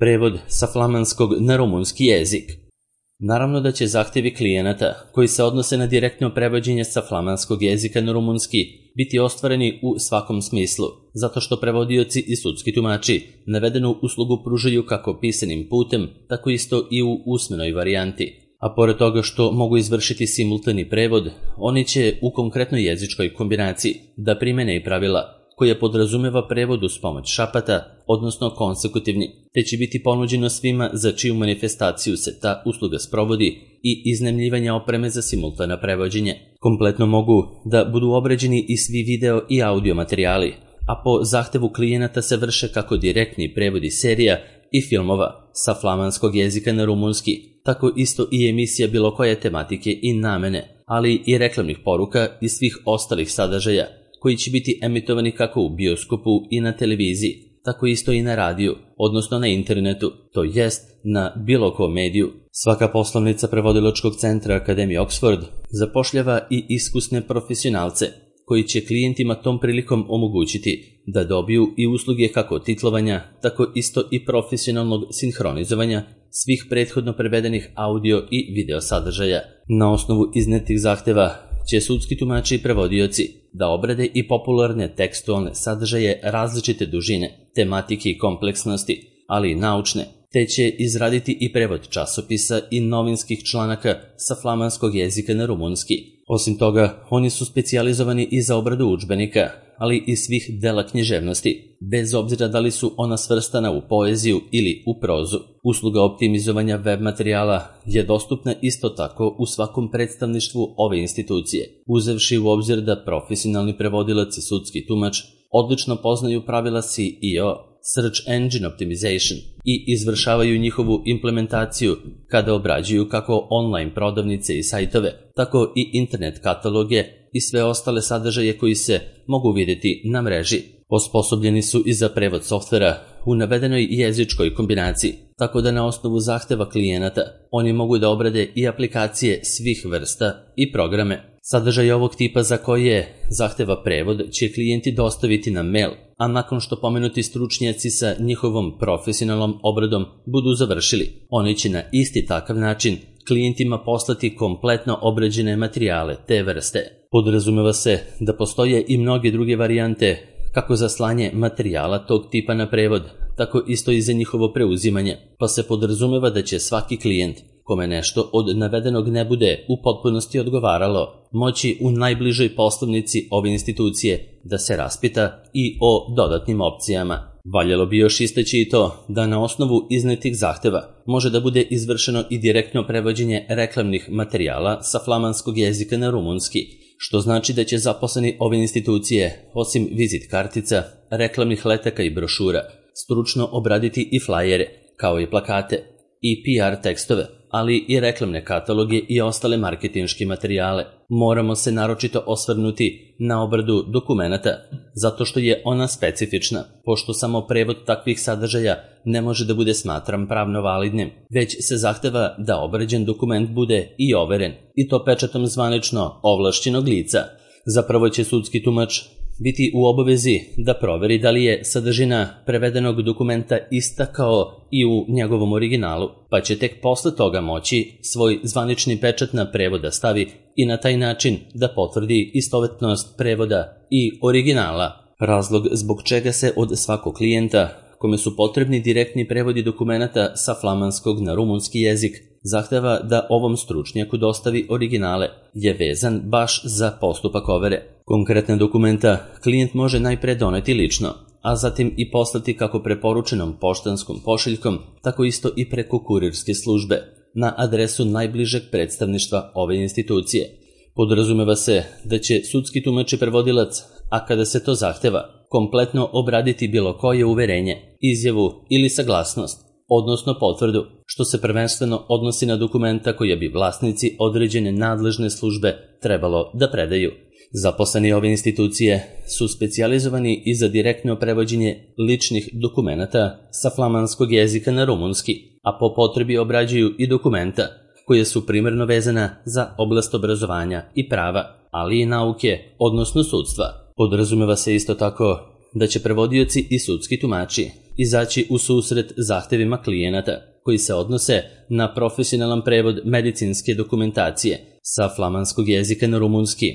Prevod sa flamanskog na rumunski jezik. Naravno da će zahtjevi klijenata, koji se odnose na direktno prevođenje sa flamanskog jezika na rumunski, biti ostvareni u svakom smislu, zato što prevodioci i sudski tumači navedenu uslugu pružaju kako pisanim putem, tako isto i u usmenoj varijanti. A pored toga što mogu izvršiti simultani prevod, oni će u konkretnoj jezičkoj kombinaciji da primene i pravila koja podrazumeva prevod uz pomoć šapata, odnosno konsekutivni, te će biti ponuđeno svima za čiju manifestaciju se ta usluga sprovodi i iznajmljivanja opreme za simultano prevođenje. Kompletno mogu da budu obrađeni i svi video i audio materijali, a po zahtevu klijenata se vrše kako direktni prevodi serija i filmova sa flamanskog jezika na rumunski, tako isto i emisija bilo koje tematike i namene, ali i reklamnih poruka i svih ostalih sadržaja, koji će biti emitovani kako u bioskopu i na televiziji, tako isto i na radiju, odnosno na internetu, to jest na bilo kom mediju. Svaka poslovnica prevodilačkog centra Akademije Oxford zapošljava i iskusne profesionalce, koji će klijentima tom prilikom omogućiti da dobiju i usluge kako titlovanja, tako isto i profesionalnog sinhronizovanja svih prethodno prevedenih audio i video sadržaja. Na osnovu iznetih zahteva će sudski tumači i prevodioci da obrade i popularne tekstualne sadržaje različite dužine, tematike i kompleksnosti, ali i naučne, te će izraditi i prevod časopisa i novinskih članaka sa flamanskog jezika na rumunski. Osim toga, oni su specijalizovani i za obradu udžbenika, ali i svih dela književnosti, bez obzira da li su ona svrstana u poeziju ili u prozu. Usluga optimizovanja web materijala je dostupna isto tako u svakom predstavništvu ove institucije, uzevši u obzir da profesionalni prevodilac i sudski tumač odlično poznaju pravila SEO, Search Engine Optimization, i izvršavaju njihovu implementaciju kada obrađuju kako online prodavnice i sajtove, tako i internet kataloge i sve ostale sadržaje koji se mogu vidjeti na mreži. Osposobljeni su i za prevod softvera u navedenoj jezičkoj kombinaciji, tako da na osnovu zahteva klijenata oni mogu da obrade i aplikacije svih vrsta i programe. Sadržaj ovog tipa za koje zahteva prevod će klijenti dostaviti na mail, a nakon što pomenuti stručnjaci sa njihovom profesionalnom obradom budu završili, oni će na isti takav način klijentima poslati kompletno obrađene materijale te vrste. Podrazumeva se da postoje i mnoge druge varijante kako za slanje materijala tog tipa na prevod, tako isto i za njihovo preuzimanje, pa se podrazumeva da će svaki klijent kome nešto od navedenog ne bude u potpunosti odgovaralo, moći u najbližoj poslovnici ove institucije da se raspita i o dodatnim opcijama. Valjalo bi još istaći i to da na osnovu iznetih zahteva može da bude izvršeno i direktno prevođenje reklamnih materijala sa flamanskog jezika na rumunski, što znači da će zaposleni ove institucije, osim vizit kartica, reklamnih letaka i brošura, stručno obraditi i flajere, kao i plakate, i PR tekstove, ali i reklamne kataloge i ostale marketinške materijale. Moramo se naročito osvrnuti na obradu dokumenata, zato što je ona specifična, pošto samo prevod takvih sadržaja ne može da bude smatran pravno validnim, već se zahteva da obrađen dokument bude i overen, i to pečatom zvanično ovlašćenog lica. Zapravo će sudski tumač biti u obavezi da proveri da li je sadržina prevedenog dokumenta ista kao i u njegovom originalu, pa će tek posle toga moći svoj zvanični pečat na prevod da stavi i na taj način da potvrdi istovetnost prevoda i originala. Razlog zbog čega se od svakog klijenta kome su potrebni direktni prevodi dokumenata sa flamanskog na rumunski jezik zahteva da ovom stručnjaku dostavi originale je vezan baš za postupak overe. Konkretne dokumenta klijent može najpre doneti lično, a zatim i poslati kako preporučenom poštanskom pošiljkom, tako isto i preko kurirske službe, na adresu najbližeg predstavništva ove institucije. Podrazumeva se da će sudski tumač i prevodilac, a kada se to zahteva, kompletno obraditi bilo koje uverenje, izjavu ili saglasnost, odnosno potvrdu, što se prvenstveno odnosi na dokumenta koje bi vlasnici određene nadležne službe trebalo da predaju. Zaposleni ove institucije su specijalizovani i za direktno prevođenje ličnih dokumenata sa flamanskog jezika na rumunski, a po potrebi obrađuju i dokumenta koje su primarno vezana za oblast obrazovanja i prava, ali i nauke, odnosno sudstva. Podrazumeva se isto tako da će prevodioci i sudski tumači izaći u susret zahtevima klijenata koji se odnose na profesionalan prevod medicinske dokumentacije sa flamanskog jezika na rumunski,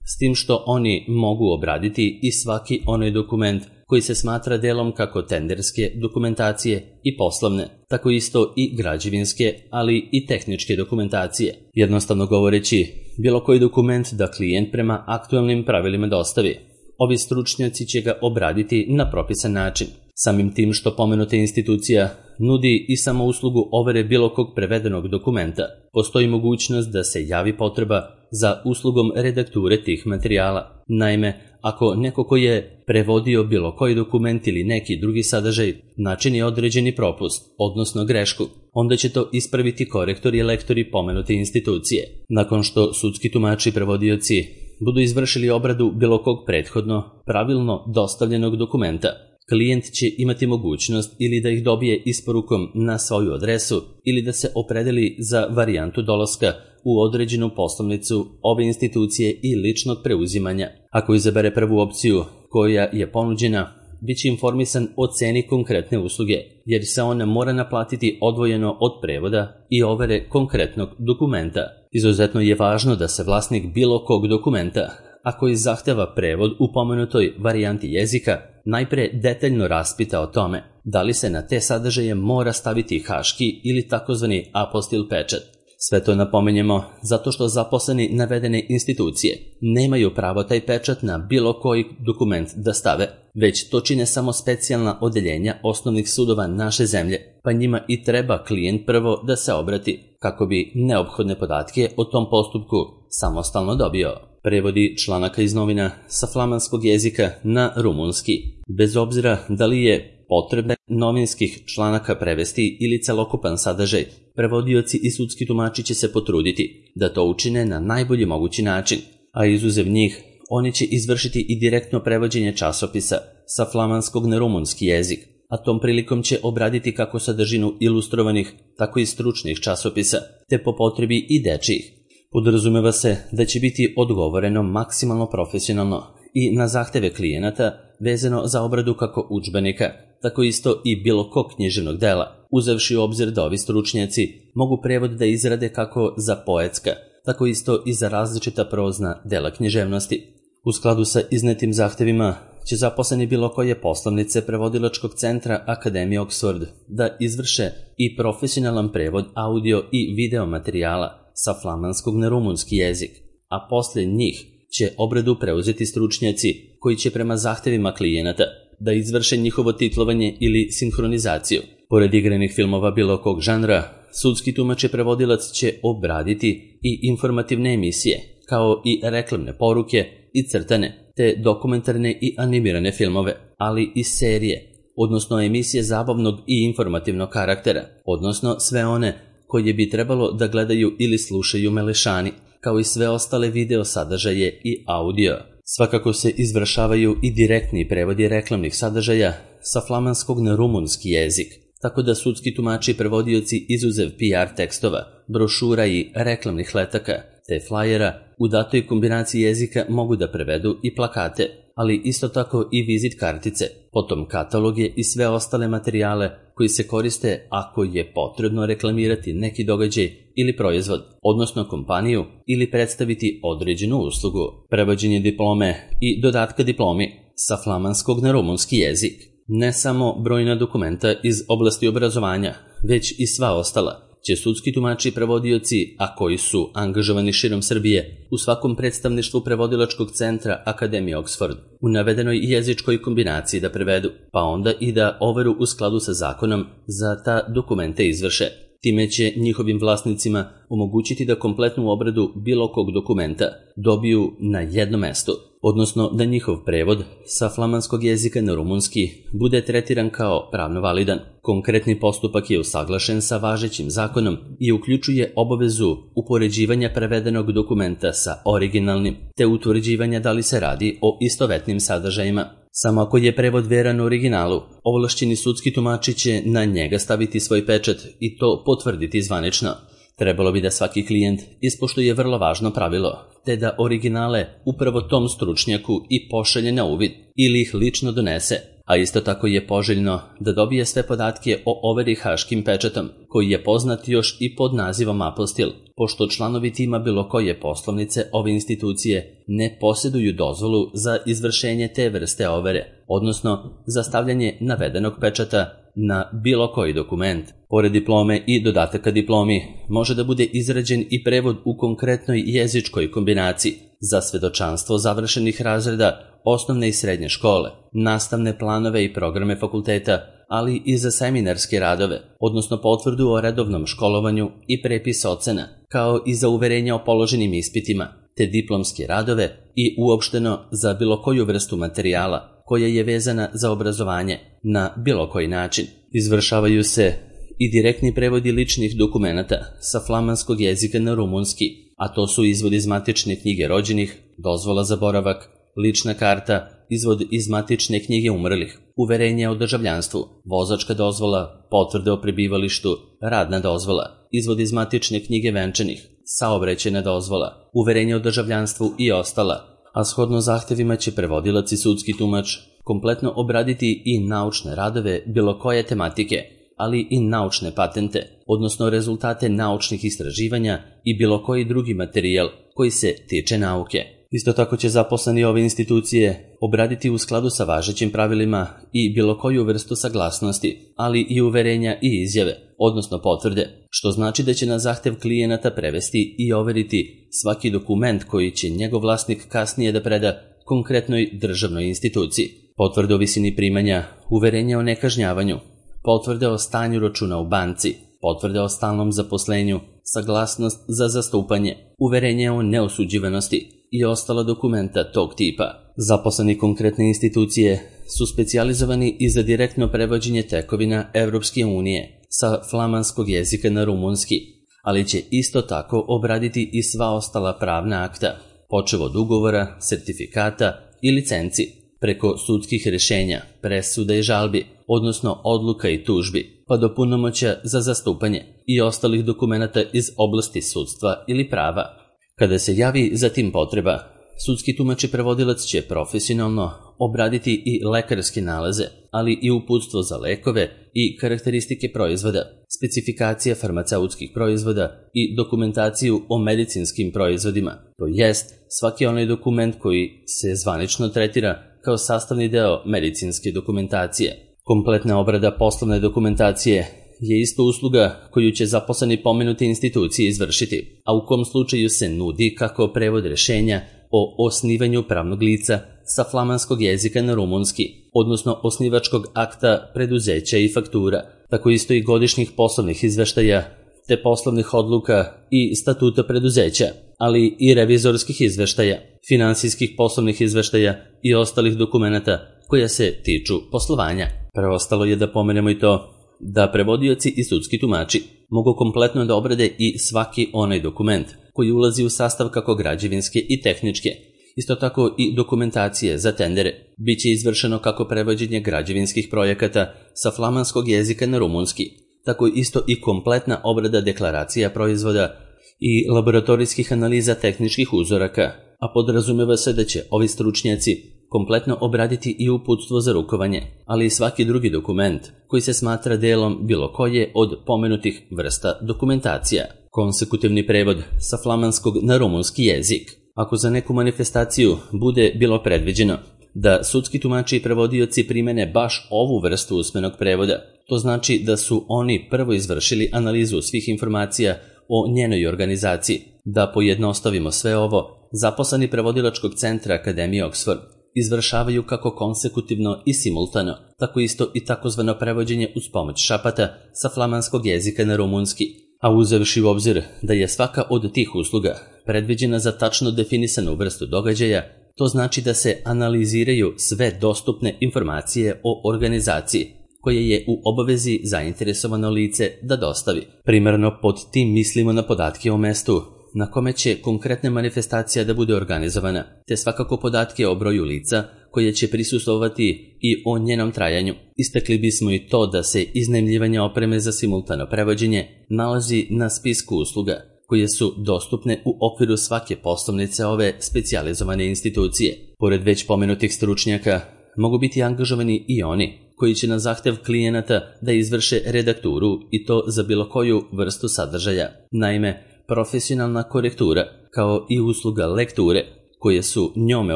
s tim što oni mogu obraditi i svaki onaj dokument koji se smatra delom kako tenderske dokumentacije i poslovne, tako isto i građevinske, ali i tehničke dokumentacije. Jednostavno govoreći, bilo koji dokument da klijent prema aktualnim pravilima dostavi. Ovi stručnjaci će ga obraditi na propisan način. Samim tim što pomenuta institucija nudi i samo uslugu overe bilo kog prevedenog dokumenta, postoji mogućnost da se javi potreba za uslugom redakture tih materijala. Naime, ako neko ko je prevodio bilo koji dokument ili neki drugi sadržaj načini određeni propust, odnosno grešku, onda će to ispraviti korektori i lektori pomenute institucije. Nakon što sudski tumači i prevodioci budu izvršili obradu bilo kog prethodno, pravilno dostavljenog dokumenta, klijent će imati mogućnost ili da ih dobije isporukom na svoju adresu ili da se opredeli za varijantu dolaska u određenu poslovnicu ove institucije i ličnog preuzimanja. Ako izabere prvu opciju koja je ponuđena, bit će informisan o ceni konkretne usluge, jer se ona mora naplatiti odvojeno od prevoda i overe konkretnog dokumenta. Izuzetno je važno da se vlasnik bilo kog dokumenta, a koji zahteva prevod u pomenutoj varijanti jezika, najpre detaljno raspita o tome da li se na te sadržaje mora staviti haški ili takozvani apostil pečat. Sve to napomenjemo zato što zaposleni navedene institucije nemaju pravo taj pečat na bilo koji dokument da stave, već to čine samo specijalna odeljenja osnovnih sudova naše zemlje, pa njima i treba klijent prvo da se obrati kako bi neophodne podatke o tom postupku samostalno dobio. Prevodi članaka iz novina sa flamanskog jezika na rumunski. Bez obzira da li je potrebe novinskih članaka prevesti ili celokupan sadržaj, prevodioci i sudski tumači će se potruditi da to učine na najbolji mogući način, a izuzev njih, oni će izvršiti i direktno prevođenje časopisa sa flamanskog na rumunski jezik, a tom prilikom će obraditi kako sadržinu ilustrovanih, tako i stručnih časopisa, te po potrebi i dečijih. Podrazumeva se da će biti odgovoreno maksimalno profesionalno i na zahteve klijenata vezano za obradu kako udžbenika, tako isto i bilo kog književnog dela, uzevši u obzir da ovi stručnjaci mogu prevod da izrade kako za poetska, tako isto i za različita prozna dela književnosti. U skladu sa iznetim zahtevima će zaposleni bilo koje poslovnice prevodilačkog centra Akademije Oxford da izvrše i profesionalan prevod audio i video materijala sa flamanskog na rumunski jezik, a posle njih će obradu preuzeti stručnjaci koji će prema zahtevima klijenata da izvrše njihovo titlovanje ili sinhronizaciju. Pored igranih filmova bilo kog žanra, sudski tumač i prevodilac će obraditi i informativne emisije, kao i reklamne poruke i crtane, te dokumentarne i animirane filmove, ali i serije, odnosno emisije zabavnog i informativnog karaktera, odnosno sve one koje bi trebalo da gledaju ili slušaju melešani, kao i sve ostale video sadržaje i audio. Svakako se izvršavaju i direktni prevodi reklamnih sadržaja sa flamanskog na rumunski jezik, tako da sudski tumači i prevodioci izuzev PR tekstova, brošura i reklamnih letaka, te flajera u datoj kombinaciji jezika mogu da prevedu i plakate, ali isto tako i vizit kartice, potom kataloge i sve ostale materijale koji se koriste ako je potrebno reklamirati neki događaj ili proizvod, odnosno kompaniju, ili predstaviti određenu uslugu. Prevođenje diplome i dodatka diplomi sa flamanskog na rumunski jezik. Ne samo brojna dokumenta iz oblasti obrazovanja, već i sva ostala će sudski tumači i prevodioci, a koji su angažovani širom Srbije, u svakom predstavništvu prevodilačkog centra Akademije Oxford, u navedenoj jezičkoj kombinaciji da prevedu, pa onda i da overu u skladu sa zakonom za ta dokumente izvrše. Time će njihovim vlasnicima omogućiti da kompletnu obradu bilo kog dokumenta dobiju na jednom mestu, odnosno da njihov prevod sa flamanskog jezika na rumunski bude tretiran kao pravno validan. Konkretni postupak je usaglašen sa važećim zakonom i uključuje obavezu upoređivanja prevedenog dokumenta sa originalnim, te utvrđivanja da li se radi o istovetnim sadržajima. Samo ako je prevod veran originalu, ovlašćeni sudski tumači će na njega staviti svoj pečat i to potvrditi zvanično. Trebalo bi da svaki klijent ispoštuje vrlo važno pravilo, te da originale upravo tom stručnjaku i pošalje na uvid ili ih lično donese, a isto tako je poželjno da dobije sve podatke o overi haškim pečatom, koji je poznat još i pod nazivom apostil, pošto članovi tima bilo koje poslovnice ove institucije ne posjeduju dozvolu za izvršenje te vrste overe, odnosno za stavljanje navedenog pečata na bilo koji dokument. Pored diplome i dodataka diplomi može da bude izrađen i prevod u konkretnoj jezičkoj kombinaciji za svedočanstvo završenih razreda osnovne i srednje škole, nastavne planove i programe fakulteta, ali i za seminarske radove, odnosno potvrdu o redovnom školovanju i prepis ocena, kao i za uverenja o položenim ispitima, te diplomske radove i uopšteno za bilo koju vrstu materijala koja je vezana za obrazovanje na bilo koji način. Izvršavaju se i direktni prevodi ličnih dokumenata sa flamanskog jezika na rumunski, a to su izvod iz matične knjige rođenih, dozvola za boravak, lična karta, izvod iz matične knjige umrlih, uverenje o državljanstvu, vozačka dozvola, potvrde o prebivalištu, radna dozvola, izvod iz matične knjige venčanih, saobraćajna dozvola, uverenje o državljanstvu i ostala, a shodno zahtevima će prevodilac i sudski tumač kompletno obraditi i naučne radove bilo koje tematike, ali i naučne patente, odnosno rezultate naučnih istraživanja i bilo koji drugi materijal koji se tiče nauke. Isto tako će zaposleni ove institucije obraditi u skladu sa važećim pravilima i bilo koju vrstu saglasnosti, ali i uverenja i izjave, odnosno potvrde, što znači da će na zahtev klijenata prevesti i overiti svaki dokument koji će njegov vlasnik kasnije da preda konkretnoj državnoj instituciji. Potvrde o visini primanja, uverenje o nekažnjavanju, potvrde o stanju računa u banci, potvrde o stalnom zaposlenju, saglasnost za zastupanje, uverenje o neosuđivanosti i ostala dokumenta tog tipa. Zaposleni konkretne institucije su specijalizovani i za direktno prevođenje tekovina Evropske unije sa flamanskog jezika na rumunski, ali će isto tako obraditi i sva ostala pravna akta, počev od ugovora, sertifikata i licenci, preko sudskih rešenja, presuda i žalbi, odnosno odluka i tužbi, pa do punomoćja za zastupanje i ostalih dokumenata iz oblasti sudstva ili prava. Kada se javi za tim potreba, sudski tumač i prevodilac će profesionalno obraditi i lekarske nalaze, ali i uputstvo za lekove i karakteristike proizvoda, specifikacije farmaceutskih proizvoda i dokumentaciju o medicinskim proizvodima, to jest svaki onaj dokument koji se zvanično tretira kao sastavni deo medicinske dokumentacije. Kompletna obrada poslovne dokumentacije je isto usluga koju će zaposleni pomenute institucije izvršiti, a u kom slučaju se nudi kako prevod rešenja o osnivanju pravnog lica sa flamanskog jezika na rumunski, odnosno osnivačkog akta preduzeća i faktura, tako isto i godišnjih poslovnih izveštaja, te poslovnih odluka i statuta preduzeća, ali i revizorskih izveštaja, finansijskih poslovnih izveštaja i ostalih dokumenata koja se tiču poslovanja. Preostalo je da pomenemo i to da prevodioci i sudski tumači mogu kompletno da obrade i svaki onaj dokument koji ulazi u sastav kako građevinske i tehničke, isto tako i dokumentacije za tendere. Biće izvršeno kako prevođenje građevinskih projekata sa flamanskog jezika na rumunski, tako isto i kompletna obrada deklaracija proizvoda i laboratorijskih analiza tehničkih uzoraka, a podrazumeva se da će ovi stručnjaci kompletno obraditi i uputstvo za rukovanje, ali i svaki drugi dokument koji se smatra delom bilo koje od pomenutih vrsta dokumentacija. Konsekutivni prevod sa flamanskog na rumunski jezik. Ako za neku manifestaciju bude bilo predviđeno da sudski tumači i prevodioci primene baš ovu vrstu usmenog prevoda, to znači da su oni prvo izvršili analizu svih informacija o njenoj organizaciji. Da pojednostavimo sve ovo, zaposleni prevodilačkog centra Akademije Oxford izvršavaju kako konsekutivno i simultano, tako isto i takozvano prevođenje uz pomoć šapata sa flamanskog jezika na rumunski, a uzevši u obzir da je svaka od tih usluga predviđena za tačno definisanu vrstu događaja, to znači da se analiziraju sve dostupne informacije o organizaciji, koje je u obavezi zainteresovano lice da dostavi. Primarno pod tim mislimo na podatke o mestu na kome će konkretna manifestacija da bude organizovana, te svakako podatke o broju lica koje će prisustvovati i o njenom trajanju. Istakli bismo i to da se iznajmljivanje opreme za simultano prevođenje nalazi na spisku usluga koje su dostupne u okviru svake poslovnice ove specijalizovane institucije. Pored već pomenutih stručnjaka, mogu biti angažovani i oni koji će na zahtev klijenata da izvrše redakturu i to za bilo koju vrstu sadržaja. Naime, profesionalna korektura, kao i usluga lekture, koje su njome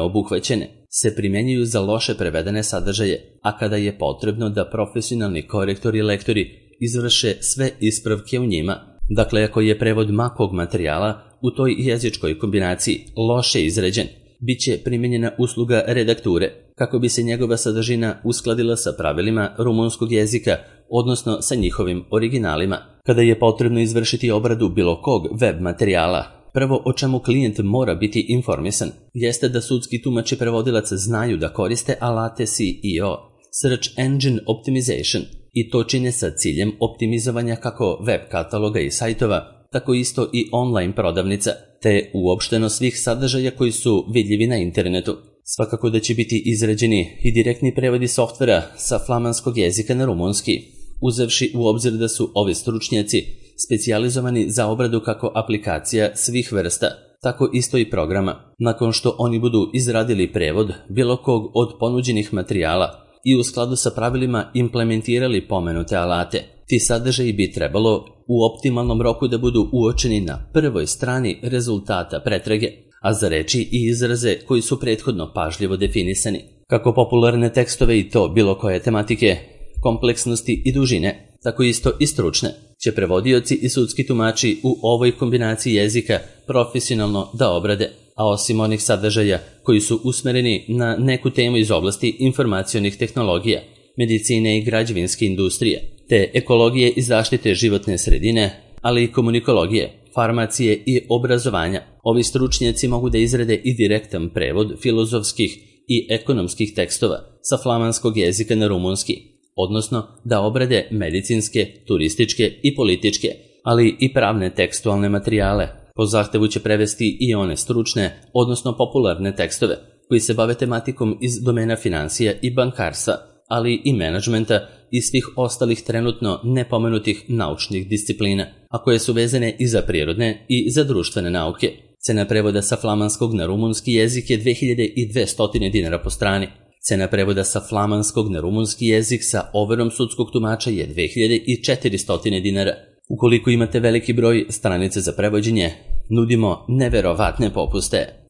obuhvaćene, se primjenjuju za loše prevedene sadržaje, a kada je potrebno da profesionalni korektori i lektori izvrše sve ispravke u njima, dakle ako je prevod makog materijala u toj jezičkoj kombinaciji loše izređen, bit će primjenjena usluga redakture kako bi se njegova sadržina uskladila sa pravilima rumunskog jezika, odnosno sa njihovim originalima. Kada je potrebno izvršiti obradu bilo kog web materijala, prvo o čemu klijent mora biti informisan jeste da sudski tumač i prevodilac znaju da koriste alate SEO, Search Engine Optimization, i to čine sa ciljem optimizovanja kako web kataloga i sajtova, tako isto i online prodavnica, te uopšteno svih sadržaja koji su vidljivi na internetu. Svakako da će biti izrađeni i direktni prevodi softvera sa flamanskog jezika na rumunski, uzevši u obzir da su ovi stručnjaci specijalizovani za obradu kako aplikacija svih vrsta, tako isto i programa. Nakon što oni budu izradili prevod bilo kog od ponuđenih materijala i u skladu sa pravilima implementirali pomenute alate, ti sadržaji bi trebalo u optimalnom roku da budu uočeni na prvoj strani rezultata pretrage, a za reči i izraze koji su prethodno pažljivo definisani. Kako popularne tekstove i to bilo koje tematike, kompleksnosti i dužine, tako isto i stručne, će prevodioci i sudski tumači u ovoj kombinaciji jezika profesionalno da obrade, a osim onih sadržaja koji su usmereni na neku temu iz oblasti informacionih tehnologija, medicine i građevinske industrije, te ekologije i zaštite životne sredine, ali i komunikologije, farmacije i obrazovanja, ovi stručnjaci mogu da izrade i direktan prevod filozofskih i ekonomskih tekstova sa flamanskog jezika na rumunski, odnosno da obrade medicinske, turističke i političke, ali i pravne tekstualne materijale. Po zahtevu će prevesti i one stručne, odnosno popularne tekstove koji se bave tematikom iz domena financija i bankarstva, ali i menadžmenta i svih ostalih trenutno nepomenutih naučnih disciplina, a koje su vezane i za prirodne i za društvene nauke. Cena prevoda sa flamanskog na rumunski jezik je 2200 dinara po strani. Cena prevoda sa flamanskog na rumunski jezik sa overom sudskog tumača je 2400 dinara. Ukoliko imate veliki broj stranice za prevođenje, nudimo neverovatne popuste.